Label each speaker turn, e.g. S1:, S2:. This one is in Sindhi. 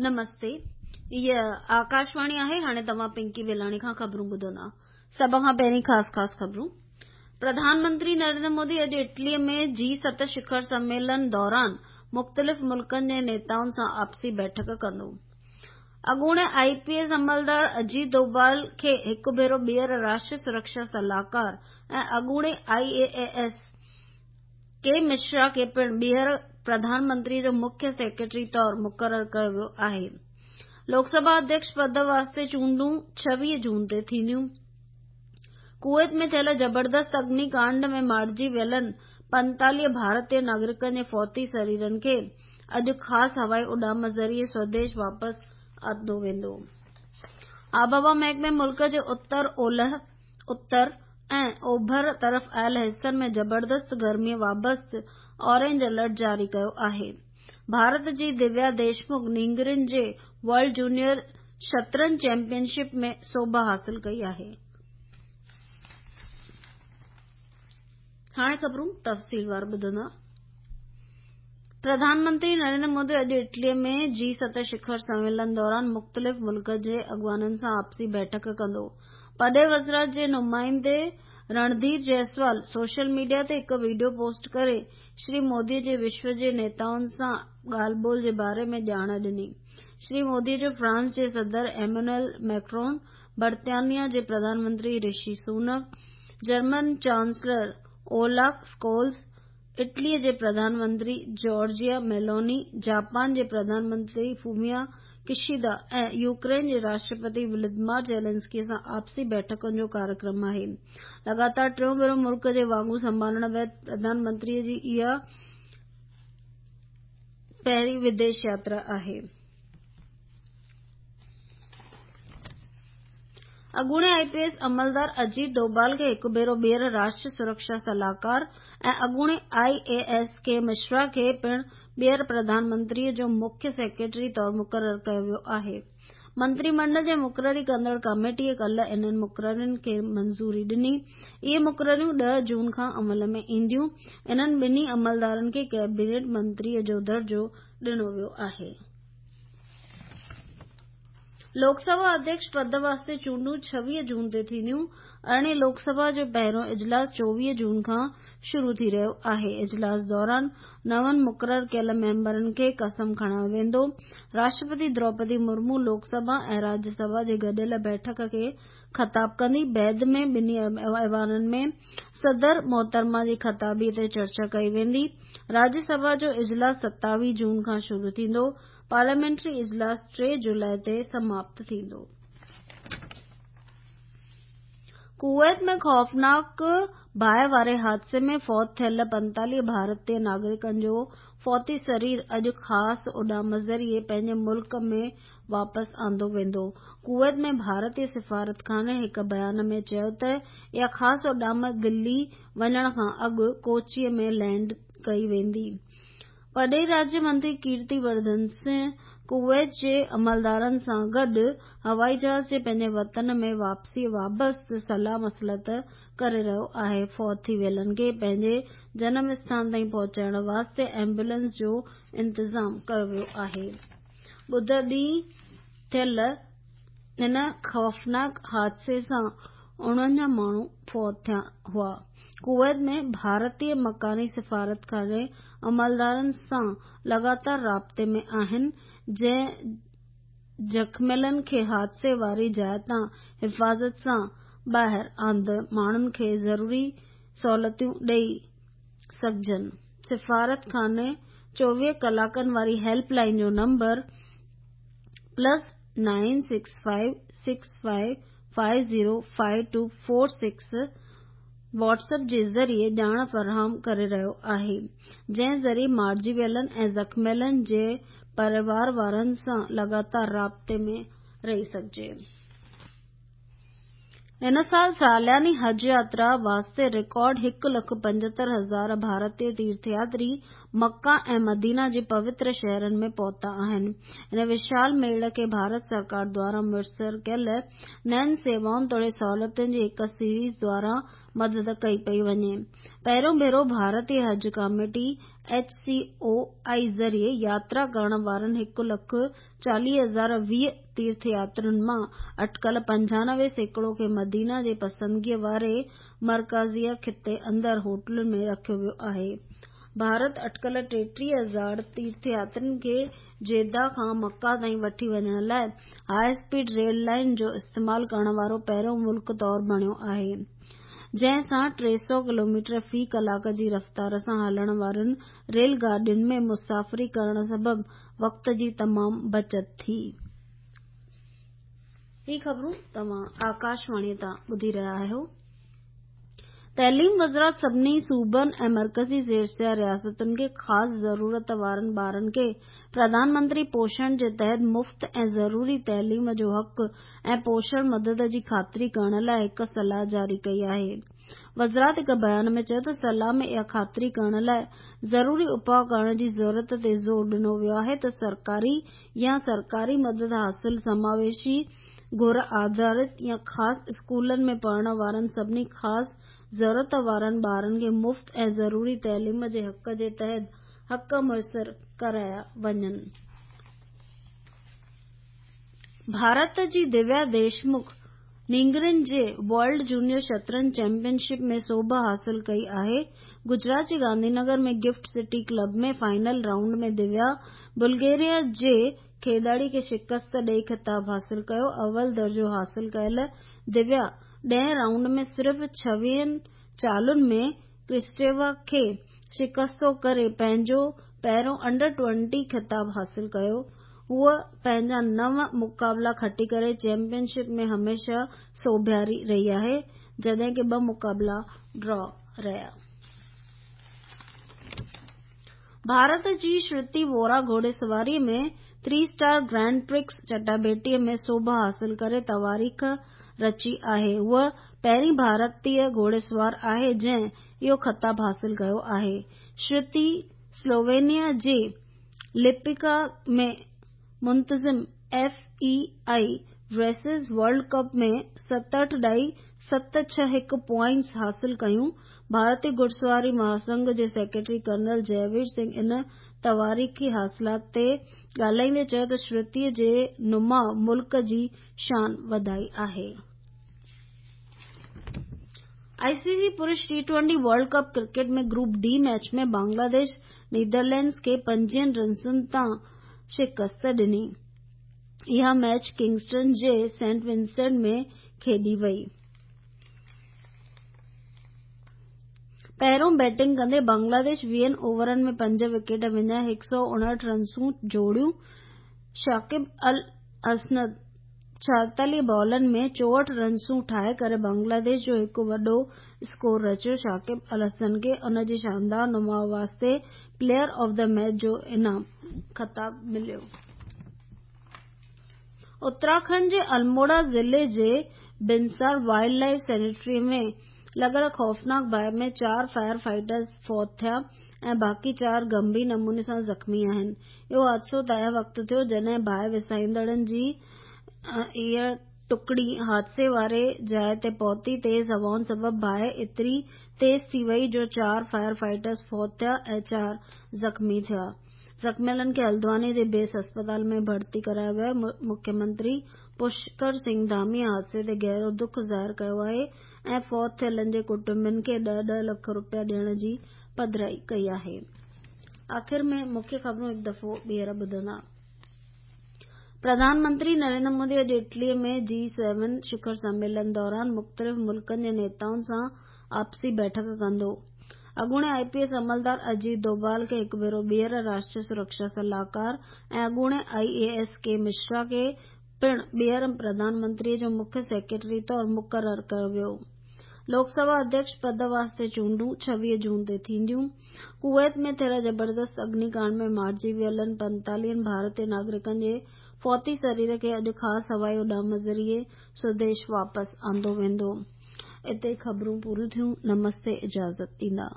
S1: نمستي هيء آڪاشواڻي آهي هاڻي توهان پنڪي ويلاڻي کان خبرون ٻڌندا سڀ کان پهرين خاص خاص خبرون پرڌان منتري نريندر مودي اڄ اٽلي ۾ جي 7 شکر سميلن دوران مختلف ملڪن جي نيتائن سان آپسي بيٺڪ ڪندو. اڳوڻي آء پي ايس عملدار اجيت دوڀال کي هڪ ڀيرو ٻيهر راشٽري سرڪشا صلاحڪار ۽ اڳوڻي I A S K Mishra کي پڻ ٻيهر پرڌان منتري جو مکيه سيڪريٽري طور مقرر ڪيو ويو آهي. لوڪ سڀا اڌيڪش پد واسطي چونڊون 26 جون تي ٿينديون. ڪويت ۾ ٿيل زبردست اگني ڪانڊ ۾ مارجي ويلن 45 ڀارتي ناگرڪن جي فوتي سريرن کي اڄ خاص هوائي اڏام ذريعي سوديش واپس آندو ويندو. آبهوا محڪمي ملڪ جي اتر اولهه، اتر ۽ اوڀر طرف آيل حصن ۾ زبردست گرمي وابست اورينج الرٽ جاري ڪيو آهي. ڀارت جي دويا ديشمک نينگرين جي ورلڊ جونيئر شطرنج چيمپيئن شپ ۾ سوڀ حاصل ڪئي آهي. هاڻي خبرون تفصيلوار ٻڌندا. پرڌان منتري نريندر مودي اڄ اٽلي ۾ جي 7 شکر سميلن دوران مختلف ملڪن جي اڳواڻن سان آپسي بيٺڪ ڪندو. پرڏيهي وزارت جي نمائندي رڻڌير جئسوال سوشل ميڊيا تي هڪ وڊيو پوسٽ ڪري شري مودي جي وشو جي نيتائن سان ڳالهه ٻولهه جي باري ۾ ڄاڻ ڏني. شري مودي جو فرانس جي صدر ايمانوئل ميڪرون، برطانيا جي Pradhan Mantri Rishi Sunak, German chancellor Olaf Scholz, Italy جي Pradhan Mantri Georgia Meloni, Japan جي پرڌان منتري فوميا ڪشيدا ۽ يوڪرين جي راشٽرپتي ولاديمير زيلنسڪي سان آپسي بيٺڪن جو ڪاريڪرم آهي. لڳاتار ٽيون ڀيرو ملڪ جي واڳون سنڀالڻ بعد پرڌان منتري جي اها پهرين وديش ياترا آهي. اڳوڻي آء پي ايس عملدار اجيت دوڀال کي هڪ ڀيرو ٻيهر راشٽري سرڪشا صلاحڪار ۽ اڳوڻي I A S K Mishra کي پڻ ٻيهر پرڌان منتري جو مکيه سيڪريٽري طور مقرر ڪيو ويو آهي. منتري منڊل جي مقرري ڪندڙ ڪاميٽيء ڪالهه انهن مقررين کي منظوري ڏني. اهي مقرريون 10 جون کان عمل ۾ اينديون. انهن ٻنهي عملدارن کي ڪئبينيٽ منتري جو درجو ڏنو ويو آهي. لوڪ سڀا اڌيڪش پد واسطي چونڊون 26 جون تي ٿينديون. ارڙهين لوڪ سڀا جو پهريون اجلاس 24 جون کان شروع ٿي رهيو آهي. اجلاس دوران نون مقرر ڪيل ميمبرن کي قسم کڻايو ويندو. راشٽرپتي دروپدي مرمو لوڪ سڀا ۽ راجيه سڀا جي گڏيل بيٺڪ کي خطاب ڪندي. بعد ۾ ٻنهي ايوانن ۾ صدر محترمه جي خطابي تي چرچا ڪئي ويندي. راجيه سڀا جو اجلاس 27 جون کان شروع ٿيندو. پارليامينٽري اجلاس 3 جولاء تي سماپت ٿيندو. ڪويت ۾ خوفناڪ باهه واري حادثي ۾ فوت ٿيل 45 ڀارتي ناگرڪن جو فوتي سرير اڄ خاص اڏام ذريعي پنهنجي ملڪ ۾ واپس آندو ويندو. ڪويت ۾ ڀارتي سفارتخاني هڪ بيان ۾ چيو ته اها خاص اڏام دلي وڃڻ کان اڳ ڪوچي ۾ لينڊ ڪئي ويندي. پرڏيهي راڄ منتري ڪيرتي ورڌن سنگهه ڪويت جي عملدارن سان گڏ هوائي جهاز جي پنهنجي وطن ۾ واپسيء بابت صلاح مصلحت ڪري رهيو آهي. فوت ٿي ويلن کي پنهنجي جنم اسٿان تائين پهچائڻ واسطي ايمبولينس جو انتظام ڪيو ويو آهي. ٻڌر ڏينهن ٿيل هن خوفناڪ حادثي سان 49 ماڻهو فوت ٿيا هئا. ڪويت ۾ ڀارتي مڪاني سفارتخاني عملدارن سان لڳاتار رابطي ۾ آهن، جنهن زخميلن کي حادثي واري جاء تان حفاظت سان ٻاهر آندي ماڻهن کي ضروري سهولتون ڏئي سگهجن. سفارتخاني 24 ڪلاڪن واري هيلپ لائين جو number plus nine six five six five five zero five two four six WhatsApp جي ذريعي ڄاڻ فراهم ڪري رهيو آهي، جنهن ذريعي مارجي ويلن ۽ زخميلن جي پريوار وارن سان لڳاتار رابطي ۾ رهي سگهجي. هن سال سالياني حج ياترا واسطي رڪارڊ هڪ لک 75 هزار ڀارتي تيرٿ ياتري مڪه ۽ مدينه جي پوتر شهرن ۾ پهتا آهن. هن وشال ميڙ کي ڀارت سرڪار دواران ميسر ڪيل نين سيوائن توڙي سهولتن جي هڪ سيريز دواران مدد ڪئي پئي وڃي. پهريون ڀيرو ڀارتي حج ڪاميٽي، ايڇ سي او آء ذريعي ياترا ڪرڻ وارن 140,020 تيرٿ ياترين مان اٽڪل 95% کي مدينه جي پسندگيء واري مرڪزيه خطي اندر هوٽلن ۾ رکيو ويو آهي. ڀارت اٽڪل 33,000 تيرٿ ياترين کي جده کان مڪه تائين وٺي وڃڻ لاء هاء اسپيڊ ريل لائين جو استعمال ڪرڻ وارو پهريون ملڪ طور بڻيو آهي، جنهن سان 300 ڪلوميٽر في ڪلاڪ جي رفتار سان هلڻ وارين ريل گاڏين ۾ مسافري ڪرڻ سبب وقت جي تمام بچت ٿي. هي خبرون توهان آڪاشواڻي تان ٻڌي رهيا آهيو. تعليم وزارت سڀني صوبن ۽ مرڪزي زيرسيا رياستن کي خاص ضرورت وارن ٻارن کي پرڌان منتري پوشڻ جي تحت مفت ۽ ضروري تعليم جو حق ۽ پوشڻ مدد جي خاطري ڪرڻ لاء هڪ صلاح جاري ڪئي آهي. وزارت هڪ بيان ۾ چيو ته صلاح ۾ اها خاطري ڪرڻ لاء ضروري اپاء ڪرڻ جي ضرورت تي زور ڏنو ويو آهي ته سرڪاري يا سرڪاري مدد حاصل سماويشي گهر آڌارت يا خاص اسڪولن ۾ پڙهڻ وارن سڀني خاص ضرورت وارن ٻارن کي مفت ۽ ضروري تعليم جي حق جي تحت حق ميسر ڪرايا وڃن. ڀارت جي دويا ديشمک نينگرين جي ورلڊ جونيئر شطرنج چيمپيئن شپ ۾ سوڀ حاصل ڪئي آهي. گجرات جي Gandhi Nagar ۾ GIFT City club ۾ final round ۾ Divya Bulgaria جي کيڏاڙي کي شڪست ڏئي خطاب حاصل ڪيو. اول درجو حاصل ڪيل دويا ڏهين رائونڊ ۾ صرف ڇويهن چالن ۾ ڪرسٽيوا کي شڪستو ڪري پنهنجو پهريون انڊر ٽوئنٽي خطاب حاصل ڪيو. هوء پنهنجا نو مقابلا کٽي ڪري چيمپيئن شپ ۾ هميشه سوڀياري رهي آهي، جڏهن ڪه ٻه مقابلا ڊرا رهيا. ڀارت جي شرتي وورا گهوڙيسواريء ۾ ٿري اسٽار گرانڊ پرڪس چٽاڀيٽيء ۾ سوڀ حاصل ڪري تواريخ رچي آهي. هوء پهرين ڀارتي گهوڙيسوار آهي جنهن اهو خطاب حاصل ڪيو آهي. شرتي سلووينيا جي لپڪا ۾ منتظم F E I dressage world cup ۾ 67.761 points حاصل ڪيون. ڀارتي گهڙسواري مهاسنگهه جي سيڪريٽري ڪرنل جئوير سنگهه ان تواريخي حاصلات تي ڳالهائيندي چيو ته شرتي جي نماء ملڪ جي شان وڌائي آهي. آء سي سي پرش T twenty world cup cricket ۾ group D match ۾ Bangladesh Netherlands کي 25 رنسن تان شڪست ڏني. اها ميچ ڪنگسٽن جي سينٽ ونسينٽ ۾ کيڏي وئي. پهريون بيٽنگ ڪندي بنگلاديش ويهن اوورن ۾ پنج وڪيٽ وڃائي 159 رنسون جوڙيون. شاڪب الحسن 44 بالن ۾ 64 رنسون ٺاهي ڪري بنگلاديش جو هڪ وڏو اسڪور رچيو. شاڪب الحسن کي ان جي شاندار نماء واسطي پليئر آف the match جو انعام خطاب مليو. اتراکنڊ جي الموڙا ضلعي جي بنسار وائلڊ لائيف سينچري ۾ لڳل خوفناڪ باهه ۾ چار فائر فائٽرز فوت ٿيا ۽ باقي چار گنڀير نموني سان زخمي آهن. اهو حادثو تنهن وقت ٿيو جڏهن باهه وسائيندڙن جي اها ٽڪڙي حادثي واري جاء تي پهتي. تيز هوائن سبب باهه ايتري تيز ٿي وئي جو چار فائر فائٽرز فوت ٿيا ۽ چار زخمي ٿيا. زخميلن کي هلدواني جي بيس اسپتال ۾ ڀرتي ڪرايو ويو آهي. مکيه منتري پشڪر سنگهه ڌامي حادثي تي گهرو دک ظاهر ڪيو آهي ۽ فوت ٿيلن جي ڪٽنبن کي ڏهه ڏهه لک روپيا ڏيڻ جي پڌرائي ڪئي آهي. آخر ۾ مکيه خبرون هڪ دفعو ٻيهر ٻڌندا. پرڌان منتري نريندر مودي اڄ اٽلي ۾ جي سيون شکر سميلن دوران مختلف ملڪن جي نيتائن سان آپسي بيٺڪ ڪندو. اڳوڻي آء پي ايس عملدار اجيت دوڀال کي هڪ ڀيرو ٻيهر راشٽري سرڪشا صلاحڪار ۽ اڳوڻي آء اي ايس ڪي مشرا کي پڻ ٻيهر پرڌان منتري جو مکيه سيڪريٽري طور مقرر ڪيو ويو. لوڪ سڀا اڌيڪش پد واسطي چونڊون 26 جون تي ٿينديون. ڪويت ۾ ٿيل زبردست اگني ڪانڊ ۾ مارجي ويلن 45 ڀارتي ناگرڪن جي فوتي سرير کي اڄ خاص هوائي اڏام ذريعي سوديش واپس آندو ويندو. اتي خبرون پوريون ٿيون. نمستي اجازت ڏيندا.